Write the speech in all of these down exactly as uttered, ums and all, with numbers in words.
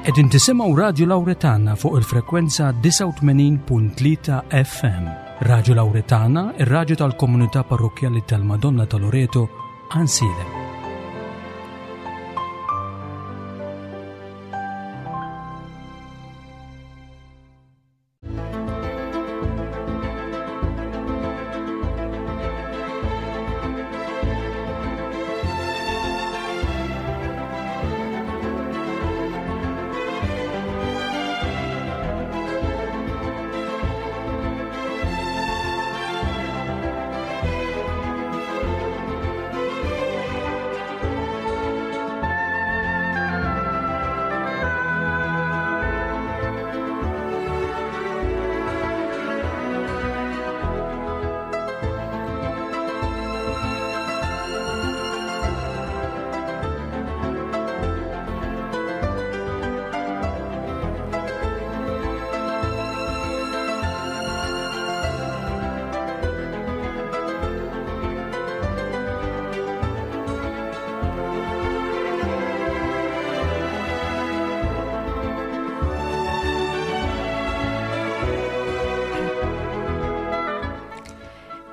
Qegħdin tisimgħu Radju Lawretana fuq il-frekwenza disgħa u tmenin punt tlieta F M. Radju Lawretana, ir-radju tal-komunità parrokkjali tal-Madonna ta' Loreto, Għajnsielem.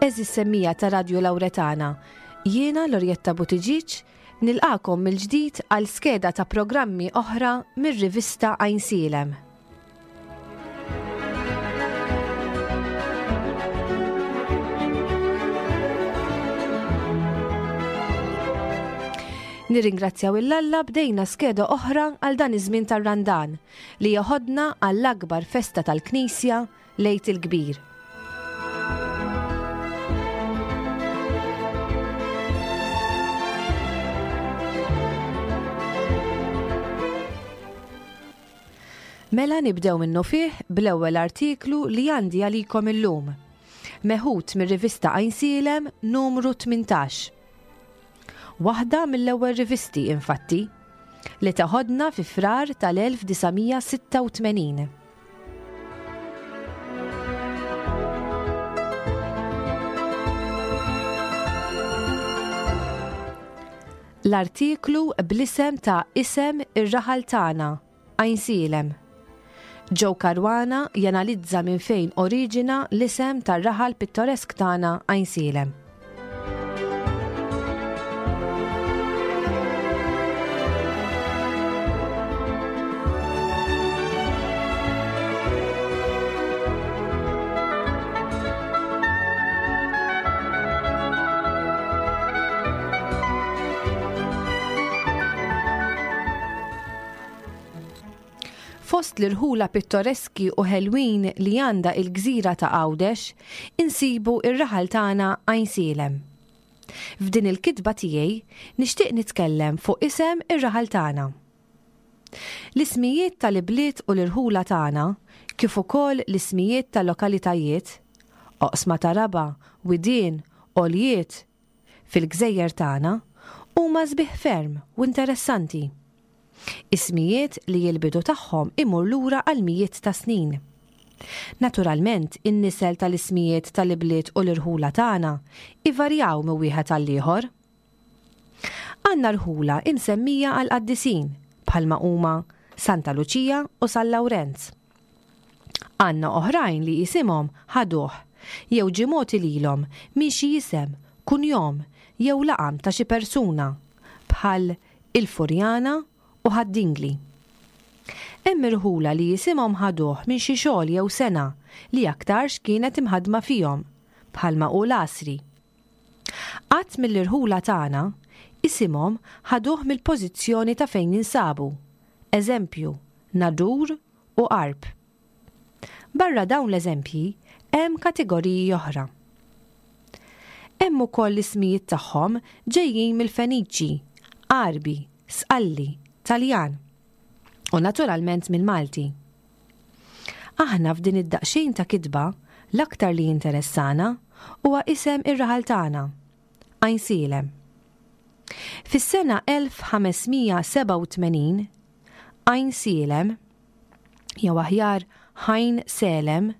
Għeżież semmija ta' Radju Lawretana, jiena Lorjetta Buttigieg nilqakom mill-ġdid għal skeda ta' programmi oħra mir-rivista Għajnsielem. Nirringrazzjaw il-Alla bdejna skeda oħra għal dan iż-żmien tar-Randan li joħodna għall-akbar festa tal-Knisja, l-Għid il-Kbir. Mela nibdew minnu fih bl-ewwel artiklu li għandi għalikom illum. Meħud mir-rivista Għajnsielem numru tmintax. Waħda mill-ewwel rivisti infatti li taħodna fi Frar tal-elf disa' mija sitta u tmenin. L-artiklu bl-isem ta' Isem ir-raħal tagħna, Għajnsielem. Joe Caruana janalizza minn fejn oriġina l-isem tar-raħal pittoresk tagħna Għajnsielem. Fost l-irħula pittoreski u ħelwin li għandha il-gżira ta' Għawdex, insibu ir-raħal tagħna Għajnsielem. F'din il-kitba tiegħi nixtieq nitkellem fuq isem ir-raħal tagħna. L-ismijiet tal-ibliet u l-irħula tagħna, kif ukoll l-ismijiet tal-lokalitajiet, oqsma ta' raba, widien, għoljiet, fil-gżejjer tagħna, huma sbieħ ferm u interessanti. Ismijiet li l-bidu tagħhom imur lura għal mijiet ta' snin. Naturalment, in-nisel tal-ismijiet tal-ibliet u l-irħula tagħna ivarjaw minn wieħed għal ieħor. Għandna rħula imsemmija għal qaddisin bħalma huma Santa Luċija u San Lawrenz. Għandna oħrajn li jisimhom ħaduh jew ġie mogħti lilhom minn xi isem, kunjom jew laqam ta' xi persuna bħal il-Furjana u Ħad-Dingli. Hemm irħula li jisimhom ħaduh minn xi xogħol jew sena li aktarx kienet imħadma fihom, bħalma hu l-għasri. Qatt mill-irħula tagħna isimhom ħaduh mill-pożizzjoni ta' fejn jinsabu, eżempju, Nadur u Għarb. Barra dawn l-eżempji hemm kategoriji oħra. Hemm ukoll l-ismijiet tagħhom ġejjin mill-Feniċi, Għarbi, Sqalli, Taljan u naturalment mill-Malti. Aħna f'din id-daqsxejn ta' kitba l-aktar li jinteressana huwa isem ir-raħal tagħna, Għajnsielem. Fis-sena elf ħamesmija sebgħa u tmenin, Għajnsielem, jew aħjar Ħajn Selem,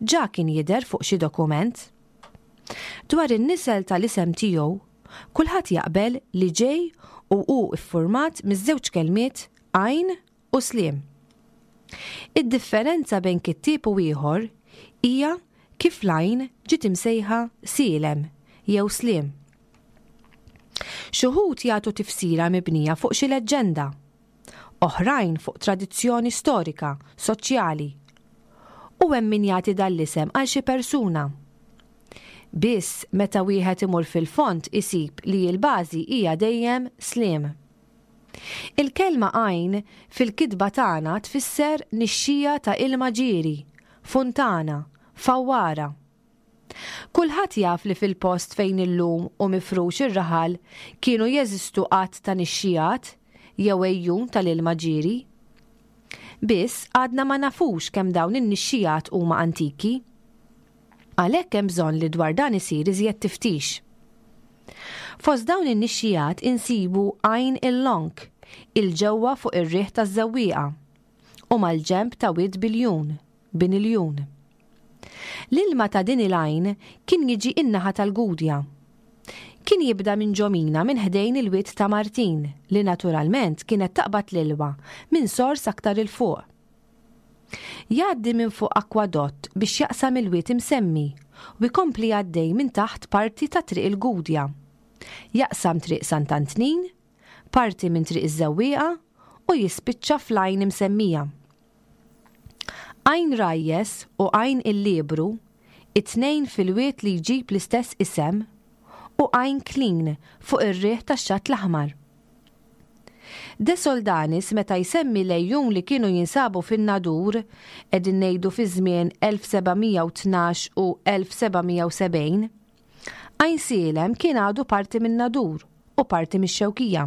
ġa kien jidher fuq xi dokument. Dwar in-nisel tal-isem tiegħu, kulħadd jaqbel li ġej u hu iffurmat miż-żewġ kelmiet għajn u Sliem. Id-differenza bejn kittieb u ieħor hija kif l-għajn ġiet imsejħa Sielem jew Sliem. Xi wħud jagħtu tifsira mibnija fuq xi leġġenda, oħrajn fuq tradizzjoni storika, soċjali. U hemm min jagħti dan l-isem għal xi persuna. Biss meta wieħed imur fil-fond isib li l-bażi hija dejjem Sliem. Il-kelma għajn fil-kitba tagħna tfisser nixxija ta' ilma ġieri, funtana, fawwara. Kulħadd jaf li fil-post fejn illum hu mifrux ir-raħal kienu jeżistu għadd ta' nixxijat jew għejjun tal-ilma ġieri. Biss għadna ma nafux kemm dawn in-nixxijat huma antiki. Għalhekk hemm bżonn li dwar dan isir iżjed tiftix. Fost dawn in-nixxijat insibu Għajn il-Lonk, il-ġewwa fuq ir-riħ taż-Żewwieqa, u mal-ġenb ta' Wied Biljun, Bin Iljun. L-ilma ta' din il-għajn kien jiġi in-naħa tal-Gudja. Kien jibda minn ġomina minn ħdejn il-wied ta' Martin li naturalment kienet taqbad l-ilma minn sors aktar 'il fuq. Jgħaddi minn fuq akwadott biex jaqsam il-wied imsemmi u jkompli għaddej minn taħt parti ta' Triq il-Gudja. Jaqsam Triq Sant'Antnin, parti minn Triq iż-Żewwieqa u jispiċċa fl-għajn imsemmija. Għajn Rajjes u Għajn il-Liebru, it-tnejn fil-wied li jġib l-istess isem, u Għajn Klin fuq ir-riħ tax-Xatt l-Aħmar. De Soldanis meta jsemmi l-għejjun li kienu jinsabu fin-Nadur, qegħdin ngħidu fi żmien elf seba' mija u tnax u elf seba' mija u sebgħin, Għajn Sielem kien għadu parti min-Nadur u parti mix-Xewkija.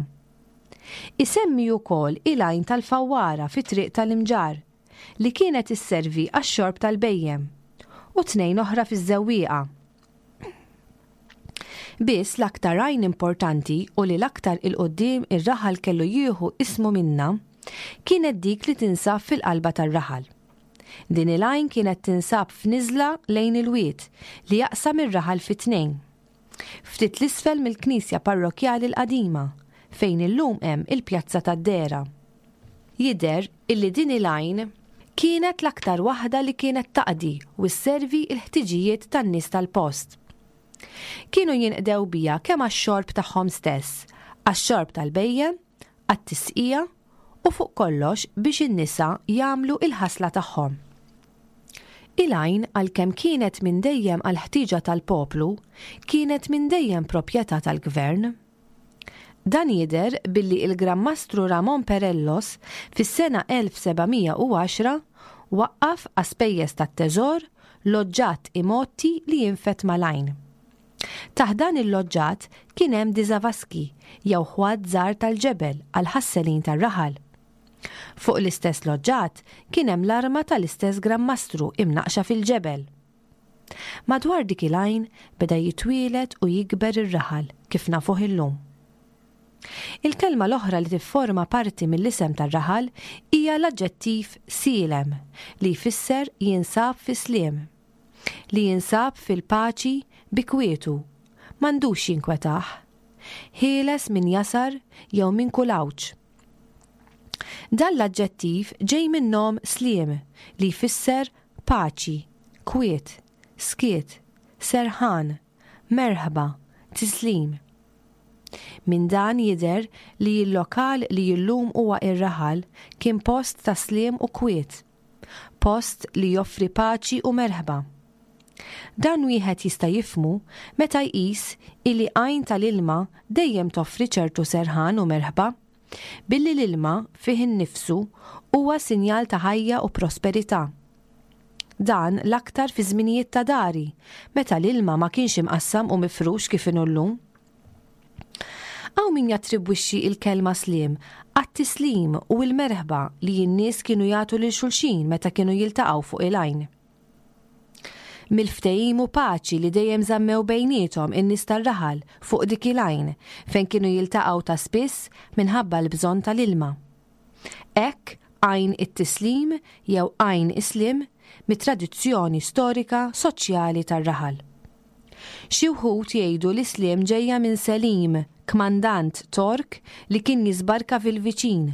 Isemmi wkoll il-għajn tal-Fawwara fi triq tal-Imġarr li kienet isservi għax-xorb tal-bejjem u tnejn oħra fiż-Żewwieqa. Biss l-aktar għajn importanti u li l-aktar il-qoddim ir-raħal kellu jieħu ismu minna kienet dik li tinsab fil-qalba tar-raħal. Din il-għajn kienet tinsab f'niżla lejn il-wied li jaqsam ir-raħal fi tnejn. Ftit l-isfel mill-knisja parrokjali l-qadima fejn illum hemm il-pjazza tad-Dera. Jidher illi din il-għajn kienet l-aktar waħda li kienet taqdi u sservi l-ħtiġijiet tan-nies tal-post. Kienu jinqdew bija kemm għax-xorb tagħhom stess, għax-xorb tal-bejjem, għat-tisqija u fuq kollox biex in-nisa jagħmlu il-ħasla tagħhom. Il-għajn għalkemm kienet minn dejjem għall-ħtiġa tal-poplu, kienet minn dejjem proprjetà tal-gvern. Dan jidher billi il-Gran Mastru Ramon Perellos fis-sena elf seba' mija u għaxra waqqaf għaspejjeż tat-teżor loġġat imgħotti li jinfed mal-għajn. Taħt dan il-loġġat kien hemm diżavaski jew ħwad żgħar tal-ġebel għal ħasselin tar-raħal. Fuq l-istess loġġat kien hemm l-arma tal-istess Gran Mastru imnaqxa fil-ġebel. Madwar dik il-għajn beda jitwieled u jikber ir-raħal kif nafuh illum. Il-kelma l-oħra li tifforma parti mill-isem tar-raħal hija l-aġġettiv sielem li jfisser jinsab fi sliem, li jinsab fil-paċi bi kwietu, m'għandux jinkwetah, ħieles minn jasar jew minn kull għawġ. Dan l-aġġettiv ġej minn nom sliem li jfisser paċi, kwiet, skiet, serħan, merħba, tislim. Minn dan jidher li l-lokal li illum huwa ir-raħal kien post ta' sliem u kwiet, post li joffri paċi u merħba. Dan wieħed jista' jifhmu meta jqis illi għajn tal-ilma dejjem toffri ċertu serħan u merħba, billi l-ilma fih innifsu huwa sinjal ta' ħajja u prosperità. Dan l-aktar fi żminijiet ta' dari, meta l-ilma ma kienx imqassam u mifrux kif inhu llum. Hawn min jattribwixxi il-kelma sliem għat-tislim u l-merħba li n-nies kienu jagħtu lil xulxin meta kienu jiltaqgħu fuq il-għajn. Mill-ftehim u paċi li dejjem żammew bejniethom in-nies tar-raħal fuq dik il-għajn fejn kienu jiltaqgħu ta' spiss minħabba l-bżonn tal-ilma. Hekk għajn it-tislim jew għajn islim mit-tradizzjoni storika soċjali tar-raħal. Xi wħud jgħidu li sliem ġejja minn Selim, kmandant Tork li kien jisbarka fil-viċin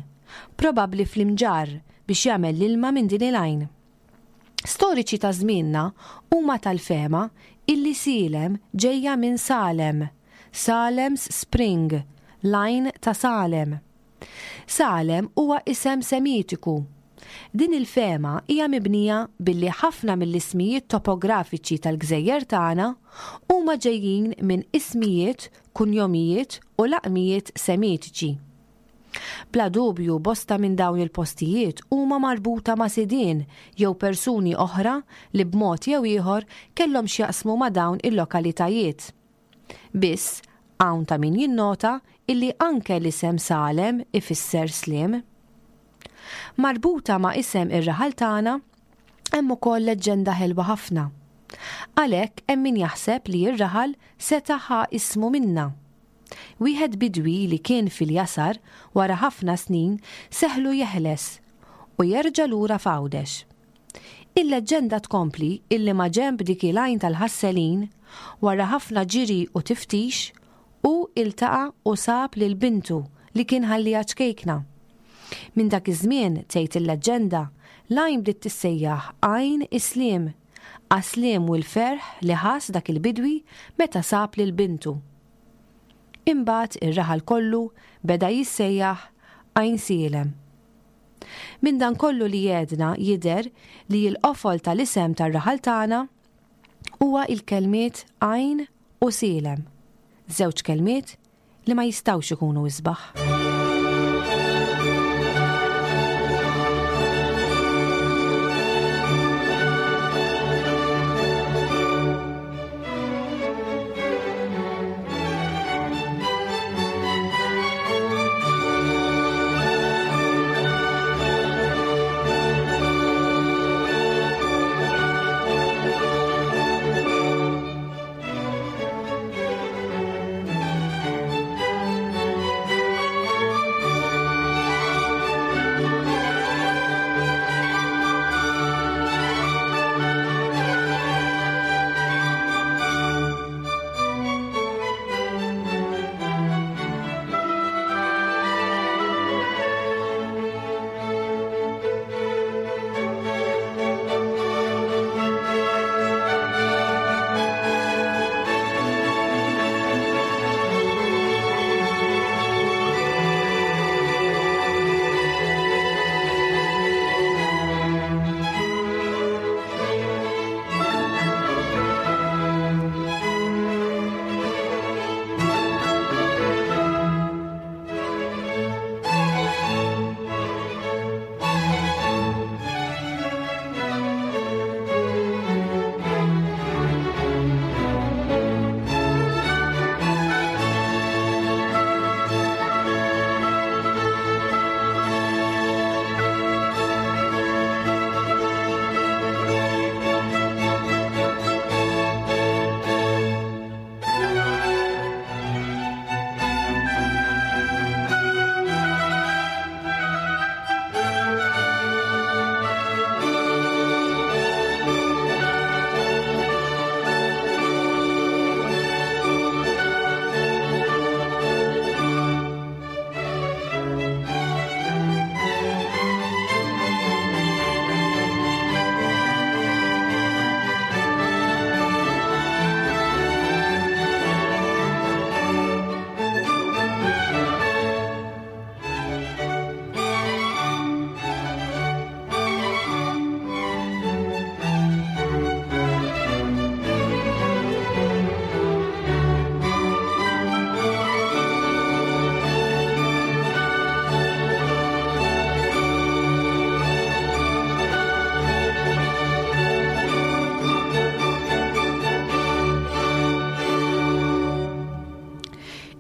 probabbli fl-Imġarr biex jagħmel l-ilma minn din il-għajn. Storiċi ta' żmienna huma tal-fehma illi Sielem ġejja minn Salem, Salem's Spring, l-għajn ta' Salem. Salem huwa isem Semitiku. Din il-fehma hija mibnija billi ħafna mill-ismijiet topografiċi tal-gżejjer tagħna huma ġejjin minn ismijiet, kunjomijiet u laqmijiet Semitiċi. Bla dubju bosta minn dawn il-postijiet huma marbuta ma' sidien jew persuni oħra li b'mod jew ieħor kellhom x'jaqsmu ma' dawn il-lokalitajiet. Biss, hawn ta' min jinnota illi anke l-isem Salem ifisser sliem. Marbuta ma' isem ir-raħal tagħna hemm ukoll leġġenda ħelwa ħafna. Għalhekk hemm min jaħseb li r-raħal seta' ħa ismu minnha. Wieħed bidwi li kien fil-jasar wara ħafna snin seħlu jeħles u jerġa' lura f'Għawdex. Il-leġġenda tkompli illi ma' ġenb dik il-għajn tal-ħasselin, wara ħafna ġiri u tiftix, hu iltaqa' u sab lil bintu li kien ħalliha ċkejkna. Minn dak iż-żmien, tgħid il-leġġenda, l-għajn bdiet tissejjaħ Għajn is-Sliem, għas-sliem u l-ferħ li ħass dak il-bidwi meta sab lil bintu. Imbagħad ir-raħal kollu beda jissejjaħ Għajnsielem. Minn dan kollu li għedna jidher li l-qofol tal-isem tar-raħal tagħna huwa il-kelmiet għajn u sielem, żewġ kelmiet li ma jistgħux ikunu isbaħ.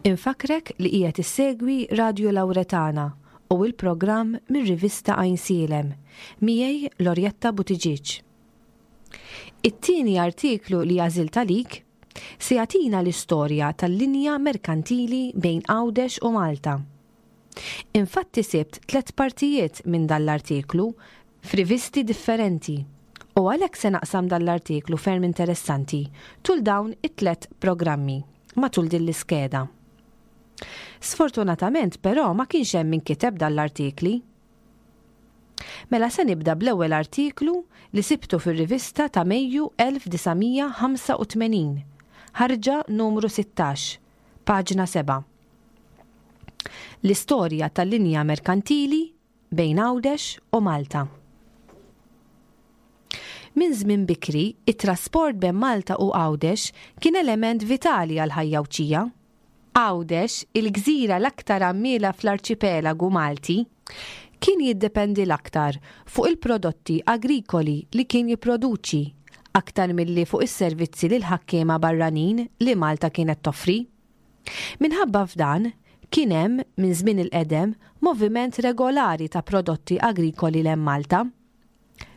Infakrek li qiegħed issegwi Radio Lauretana u l-programm mir-rivista Għajnsielem, miegħi Lorjetta Buttigieg. It-tieni artiklu li għażilt għalik se jagħtina l-istorja tal-linja merkantili bejn Għawdex u Malta. Infatti sibt tliet partijiet minn dan l-artiklu f'rivisti differenti u għalhekk se naqsam dan l-artiklu ferm interessanti tul dawn it-tliet programmi matul din l-iskeda. Sfortunatament però ma kienx hemm min kiteb dan l-artikli. Mela se nibda bl-ewwel artiklu li sibtu fir-rivista ta' Mejju elf disa' mija ħamsa u tmenin, ħarġa numru sittax, paġna sebgħa. L-istorja tal-linja merkantili bejn Għawdex u Malta. Minn żmien bikri, it-trasport bejn Malta u Għawdex kien element vitali għall-ħajja Għawdxija. Għawdex, il-gżira l-aktar għammiela fl-arċipelagu Malti, kien jiddependi l-aktar fuq il-prodotti agrikoli li kien jipproduċi, aktar milli fuq is-servizzi lil ħakkiema barranin li Malta kienet toffri. Minħabba f'dan, kien hemm, minn żmien il-qedem, moviment regolari ta' prodotti agrikoli lejn Malta.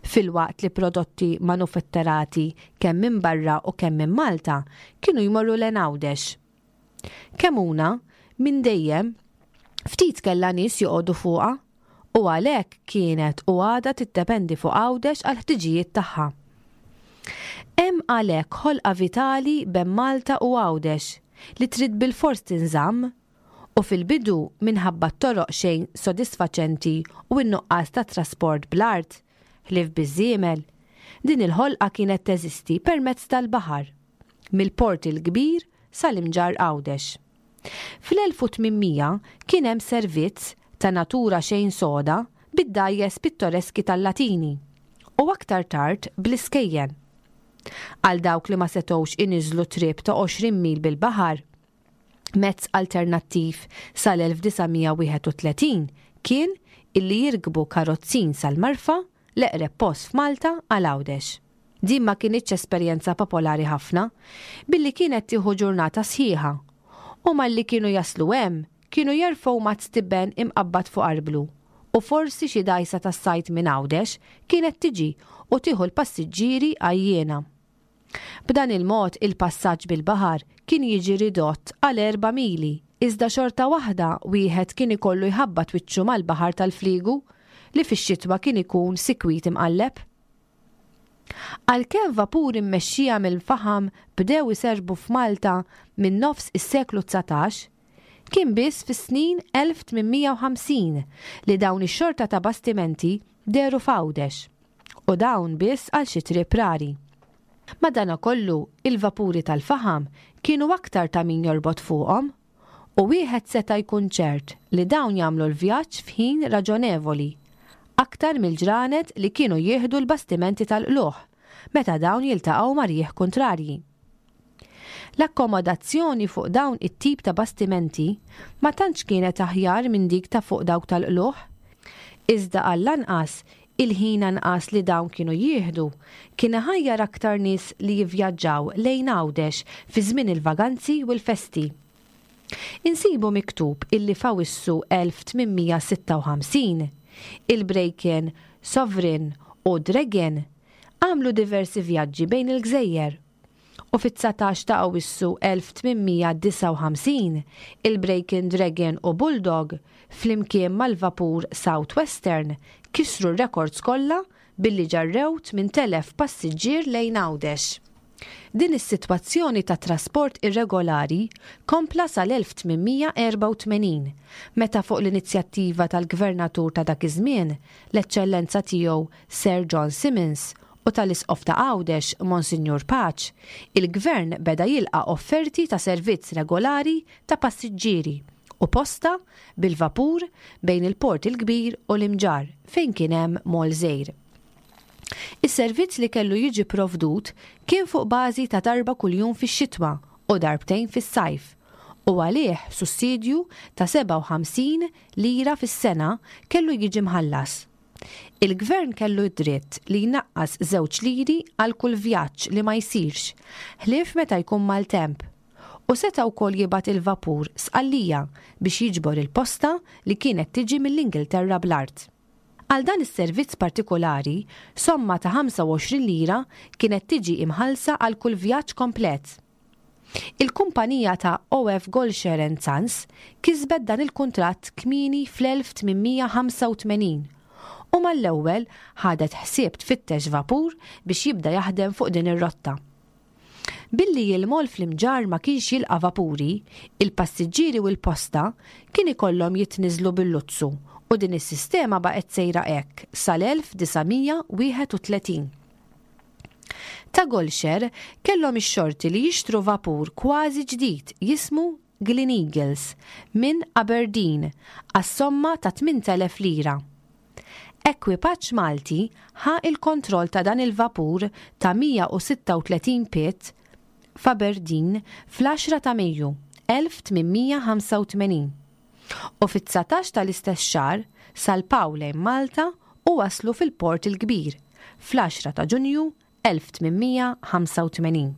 Filwaqt li prodotti manufatturati kemm minn barra u kemm minn Malta kienu jmorru lejn Għawdex. Kemmuna, minn dejjem, ftit kellha nies joqogħdu fuqha u għalhekk kienet u għadha tiddependi fuq Għawdex għall-ħtiġijiet tagħha. Hemm għalhekk ħolqa vitali bejn Malta u Għawdex li trid bilfors tinżamm u fil-bidu minħabba t-toroq xejn sodisfaċenti u n-nuqqas ta' trasport bl-art, ħlief biż-żiemel, din il-ħolqa kienet teżisti permezz tal-baħar, mill-Port il-Kbir sal-Imġarr Għawdex. Fl-elf u tmien mija kien hemm servizz ta' natura xejn soda bid-dgħajjes pittoreski tal-Latini u aktar tard bl-iskejjen. Għal dawk li ma setgħux iniżlu trip ta' għoxrin mil bil-baħar, mezz alternattiv sal-elf disa' mija wieħed u tletin kien illi jirkbu karozzin sal-Marfa, l-eqreb post f'Malta għal Għawdex. Din ma kinitx esperjenza popolari ħafna, billi kienet tieħu ġurnata sħiħa, u malli kienu jaslu hemm kienu jerfgħu mazz tiben imqabbad fuq arblu, u forsi xi dgħajsa tas-sajt minn Għawdex kienet tiġi u tieħu l-passiġġieri għajjiena. B'dan il-mod il-passaġġ bil-baħar kien jiġi ridott għal erba' mili, iżda xorta waħda wieħed kien ikollu jħabbat wiċċu mal-baħar tal-fliegu li fix-xitwa kien ikun sikwit imqalleb. Għalkemm vapuri mmexxija mill-faħam bdew iserbu f'Malta minn nofs is-seklu dsatax, kien biss fis-snin elf tmien mija u ħamsin li dawn ix-xorta ta' bastimenti dehru f'Għawdex, u dawn biss għal xi trip rari. Madanakollu, il-vapuri tal-faħam kienu aktar ta' min jorbot fuqhom, u wieħed seta' jkun ċert li dawn jagħmlu l-vjaġġ f'ħin raġonevoli, aktar mill-ġranet li kienu jieħdu l-bastimenti tal-qluħ meta dawn jiltaqgħu ma' rjieħ kontrarji. L-akkomodazzjoni fuq dawn it-tip ta' bastimenti ma tantx kienet aħjar minn dik ta' fuq dawk tal-qluħ, iżda għall-anqas il-ħin anqas li dawn kienu jieħdu kien iħajjar aktar nies li jivvjaġġaw lejn Għawdex fi żmien il-vaganzi u l-festi. Insibu miktub illi f'Awwissu elf tmien mija sitta u ħamsin il-Braken, Sovereign u Dragon għamlu diversi vjaġġi bejn il-gżejjer. U fit-dsatax ta' Awwissu elf tmien mija disgħa u ħamsin il-Braken, Dragon u Bulldog flimkien mal-vapur South Western kisru r-rekords kollha billi ġarrew tmien telef passiġġier lejn Għawdex. Din is-sitwazzjoni ta' trasport irregolari kompla sal-elf tmien mija erba' u tmenin, meta fuq l-inizjattiva tal-gvernatur ta' dak iż-żmien, l-eċċellenza tiegħu Sir John Simmons u tal-Isqof ta' Għawdex Monsignor Pace, il-gvern beda jilqa' offerti ta' servizz regolari ta' passiġġieri u posta bil-vapur bejn il-Port il-Kbir u l-Imġarr fejn kien hemm mol żgħir. Is-servizz li kellu jiġi provdut kien fuq bażi ta' darba kuljum fix-xitwa u darbtejn fis-sajf, u għalih sussidju ta' sebgħa u ħamsin lira fis-sena kellu jiġi mħallas. Il-gvern kellu d-dritt li jnaqqas żewġ liri għal kull vjaġġ li ma jsirx, ħlief meta jkun maltemp, u seta' wkoll jibgħat il-vapur Sqallija biex jiġbor il-posta li kienet tiġi mill-Ingilterra bl-art. Għal dan is-servizz partikolari, somma ta' ħamsa u għoxrin lira kienet tiġi imħallsa għal kull vjaġġ komplet. Il-kumpanija ta' O F Gollcher and Sons kisbet dan il-kuntratt kmieni fl-elf tmien mija ħamsa u tmenin u mal-ewwel ħadet ħsieb tfittex vapur biex jibda jaħdem fuq din ir-rotta. Billi il-moll fl-Imġarr ma kienx jilqa' vapuri, il-passiġġieri u l-posta kien ikollhom jitniżlu bil-luzzu u din is-sistema baqgħet sejra hekk sal-elf disa' mija wieħed u tletin. Ta' Gollcher kellhom ix-xorti li jixtru vapur kważi ġdid jismu Glen Eagles minn Aberdeen għas-somma ta' tmint elef lira. Ekwipaġġ Malti ħa il-kontroll ta' dan il-vapur ta' mija u sitta u tletin pied f'Aberdeen fl-għaxra ta' Mejju elf tmien mija ħamsa u tmenin u fit-dsatax tal-istess xahar salpaw lejn Malta u waslu fil-Port il-Kbir fl-għaxra ta' Ġunju elf tmien mija ħamsa u tmenin.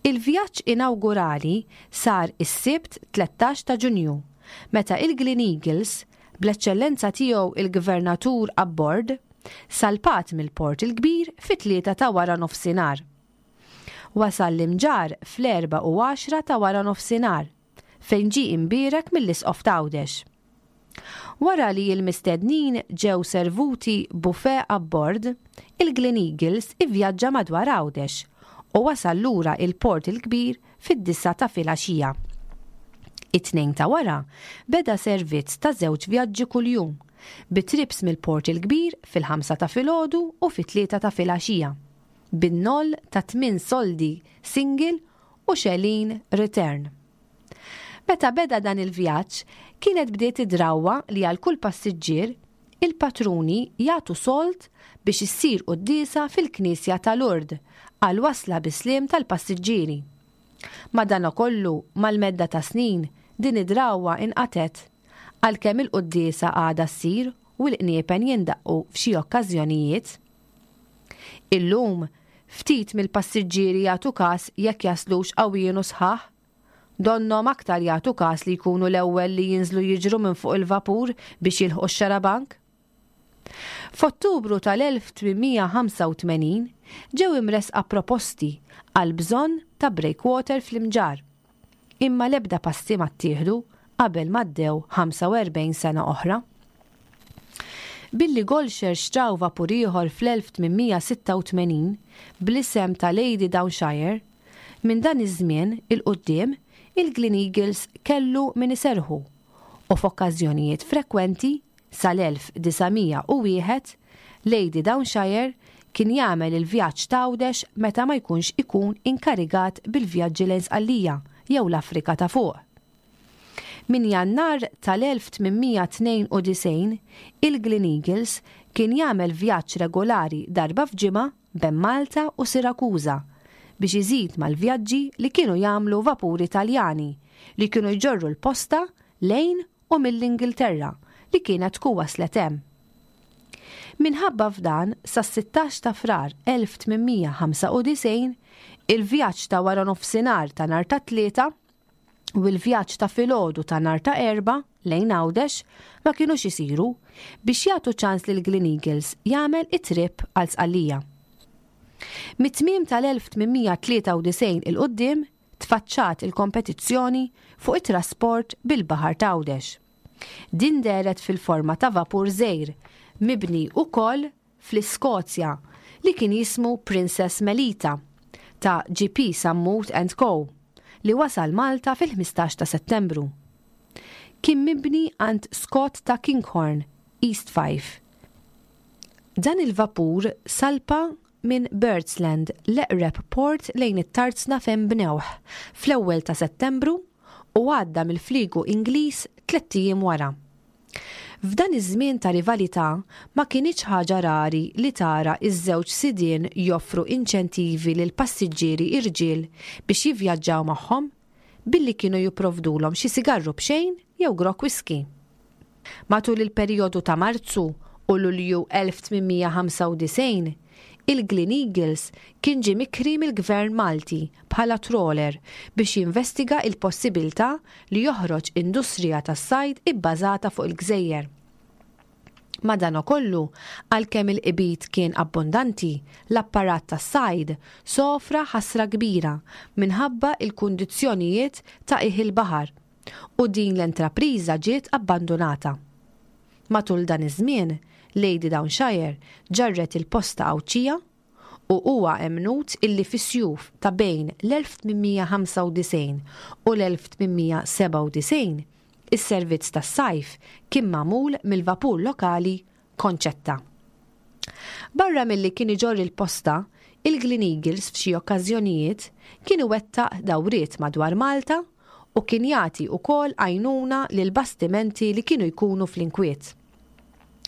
Il-vjaġġ inawgurali sar is-Sibt tlettax ta' Ġunju, meta il-Glen Eagles, bl-eċċellenza tiegħu il-Gvernatur abbord, salpat mill-Port il-Kbir fit-tlieta ta' wara nofsinhar. Wasal l-Imġarr fl-erba' u għaxra ta' wara nofsinhar, fejn ġie imbierek mill-Isqof t'Għawdex. Wara li l-mistednin ġew servuti buffet abbord, il-Glen Eagles ivvjaġġa madwar Għawdex u wasal lura il-Port il-Kbir fid-disa ta' filgħaxija. It-tnejn ta' wara beda servizz ta' żewġ vjaġġi kuljum, bi trips mill-Port il-Kbir fil-ħamsa ta' filgħodu u fit-tlieta ta' filgħaxija, bin-noll ta' tmien soldi single u xelin return. Meta beda dan il-vjaġġ, kienet bdiet id-drawwa li għal kull passiġġier il-patruni jagħtu sold biex issir quddiesa fil-Knisja ta' Lourdes għal wasla bisliem tal-passiġġieri. Madanakollu mal-medda ta' snin din id-drawwa inqatet, għalkemm il-quddiesa għadha ssir u l-qniepen jindaqqu f'xi okkażjonijiet. Illum, ftit mill-passiġġieri jagħtu każ jekk jaslux qawwijin u sħaħ. Donnom aktar jagħtu każ li jkunu l-ewwel li jinżlu jiġru minn fuq il-vapur biex jilħqu x-xarabank. F'Ottubru tal-elf tmien mija ħamsa u tmenin ġew imresqa proposti għal bżonn ta' breakwater fl-Imġarr. Imma l-ebda passi ma ttieħdu qabel m'għaddew ħamsa u erbgħin sena oħra. Billi Gollcher xtraw vapur ieħor fl-elf tmien mija sitta u tmenin bl-isem ta' Lady Downshire, minn dan iż-żmien il-quddiem il-Glen Eagles kellu min iserħu u f'okkażjonijiet frekwenti sal-elf disa' mija u wieħed Lady Downshire kien jagħmel il-vjaġġ t'Għawdex meta ma jkunx ikun inkarigat bil-vjaġġi lejn Sqallija jew l-Afrika ta' fuq. Min Jannar tal-elf tmien mija tnejn u disgħin, il-Glen Eagles kien jagħmel vjaġġ regolari darba f'ġimgħa bejn Malta u Sirakuża biex iżid mal-vjaġġi li kienu jagħmlu vapuri Taljani li kienu jġorru l-posta lejn u mill-Ingilterra li kienet tkun waslet hemm. Minħabba f'dan, sas-sittax ta' Frar elf tmien mija ħamsa u disgħin, il-vjaġġ ta' wara nofsinhar ta' nhar ta' Tlieta u l-vjaġġ ta' filgħodu ta' nhar ta' Erbgħa lejn Għawdex ma kinux isiru biex jagħtu ċans lil Glen Eagles jagħmel it-trip għal Sqallija. Mit-tmiem tal-elf tmien mija tlieta u disgħin il-qudiem tfaċċat il-kompetizzjoni fuq it-trasport bil-baħar ta' Għawdex. Din dehret fil-forma ta' vapur żgħir mibni ukoll fl-Iskozja li kien jismu Princess Melita ta' G P Sammut and Co li wasal Malta fil-ħmistax ta' Settembru. Kien mibni għand Scott ta' Kinghorn, East Fife. Dan il-vapur salpa minn Birdsland, l-eqreb port lejn it-tarzna fejn bnewh fl-ewwel ta' Settembru u għadda mill-fliegu Ingliż tlett ijiem wara. F'dan iż-żmien ta' rivalità ma kinitx ħaġa rari li tara iż-żewġ sidien joffru inċentivi lil passiġġieri irġiel biex jivvjaġġaw magħhom billi kienu jipprovdulhom xi sigarru b'xejn jew grokk whisky. Matul il-perjodu ta' Marzu u Lulju elf tmien mija ħamsa u disgħin, il-Glen Eagles kien ġie mikri mill-Gvern Malti bħala trawler biex jinvestiga il-possibilità li joħroġ industrija tas-sajd ibbażata fuq il-gżejjer. Madanakollu, għalkemm il-qbid kien abbondanti, l-apparat tas-sajd sofra ħasra kbira minħabba il-kundizzjonijiet ta' qiegħ il-baħar u din l-entrapriża ġiet abbandunata. Matul dan iż-żmien, Lady Downshire ġarret il-posta Għawdxija u huwa emmnut illi fis-sjuf ta' bejn l-elf tmien mija ħamsa u disgħin u l-elf tmien mija sebgħa u disgħin is-servizz tas-sajf kien magħmul mill-vapur lokali Konċetta. Barra milli kien iġorr il-posta, il-Gleneagles f'xi okkażjonijiet kien iwettaq dawriet madwar Malta u kien jagħti wkoll għajnuna lil bastimenti li kienu jkunu fl-inkwiet.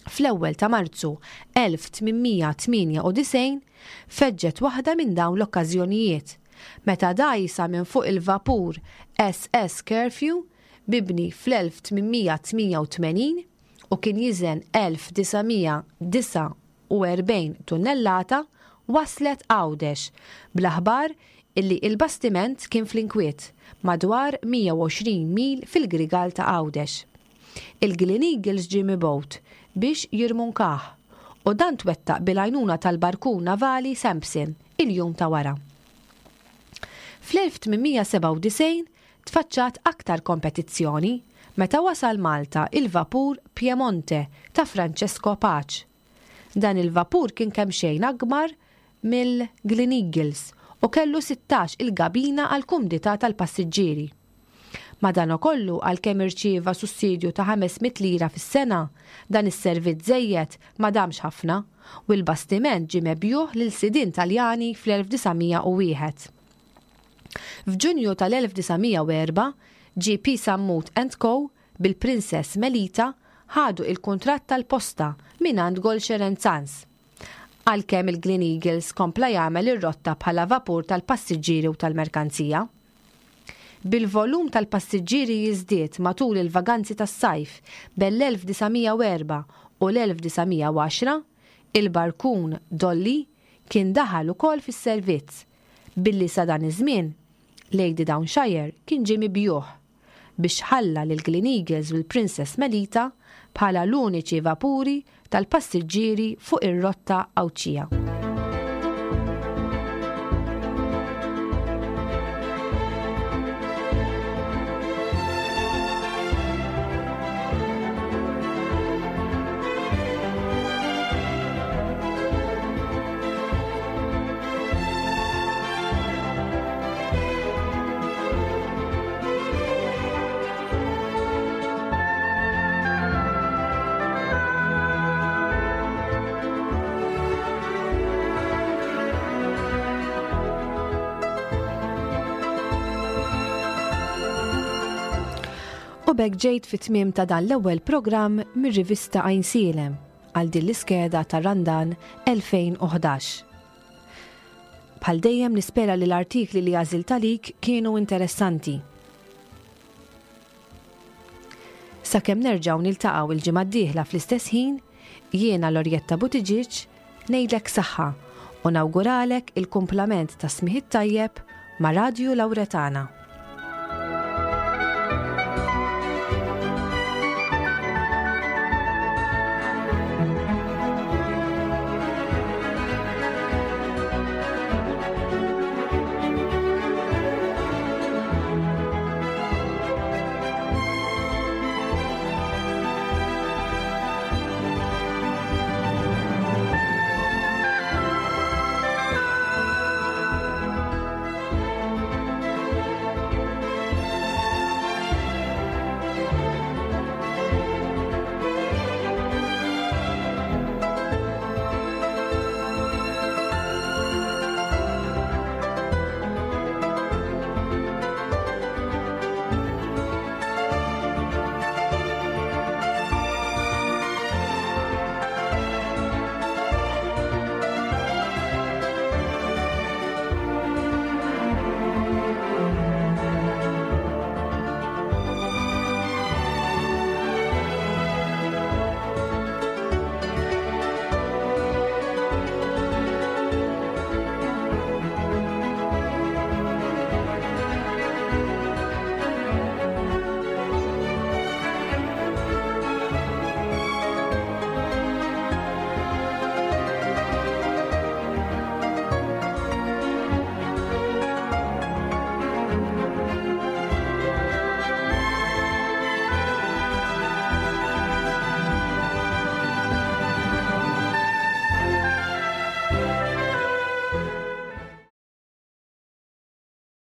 Fl-ewwel ta' Marzu elf tmien mija tmienja u disgħin feġġet waħda minn dawn l-okkażjonijiet meta dgħajsa minn fuq il-vapur S S Curfew mibni fl-elf tmien mija tmienja u tmenin u kien jiżen elf disa' mija disa' u erbgħin tunnellata waslet Għawdex bl-aħbar illi il-bastiment kien fl-inkwiet madwar mija u għoxrin mil fil-Grigal ta' Għawdex. Il-Gleneagles ġie mibgħut biex jirmunkah u dan twettaq bil-għajnuna tal-barkun navali Sampson il-jum ta' wara. Fl-elf tmien mija sebgħa u disgħin tfaċċat aktar kompetizzjoni meta wasal Malta il-vapur Piemonte ta' Francesco Pace. Dan il-vapur kien kemm xejn akbar mill-Gleneagles u kellu sittax il-gabina għal kumdità tal-passiġġieri. Madanakollu għalkemm irċieva sussidju ta' ħames mitt lira fis-sena, dan is-servizz żejjed ma damx ħafna u l-bastiment ġie mebjuħ lil sidien Taljani fl-elf disa' mija u wieħed. F'Ġunju tal-elf disa' mija u erba', G P Sammut and Co bil-Princess Melita ħadu il-kuntratt tal-posta mingħand Gollcher and Sons. Għalkemm il-Gleneagles kompla jagħmel ir-rotta bħala vapur tal-passiġġieri u tal-merkanzija. Bil-volum tal-passiġġieri jiżdied matul il-vaganzi tas-sajf bel-elf disa' mija u erba' u l-elf disa' mija u għaxra, il-barkun Dolly kien daħal ukoll fis-servizz, billi sa dan iż-żmien Lady Downshire kien ġie mibjuħ biex ħalla lil Gleneagles u l-Princess Melita bħala l-uniċi vapuri tal-passiġġieri fuq ir-rotta Għawdxija. U b'hekk ġejt fit-tmiem ta' dan l-ewwel programm mir-rivista Għajnsielem għal din l-iskeda ta' Randan elfejn u ħdax. Bħal dejjem nispera li l-artikli li għażilt għalik kienu interessanti. Sakemm nerġgħu niltaqgħu il-ġimgħa d-dieħla fl-istess ħin, jiena Lorjetta Buttigieg ngħidlek saħħa u nawguralek il-kumplament ta' smigħ tajjeb ma' Radju Lawretana.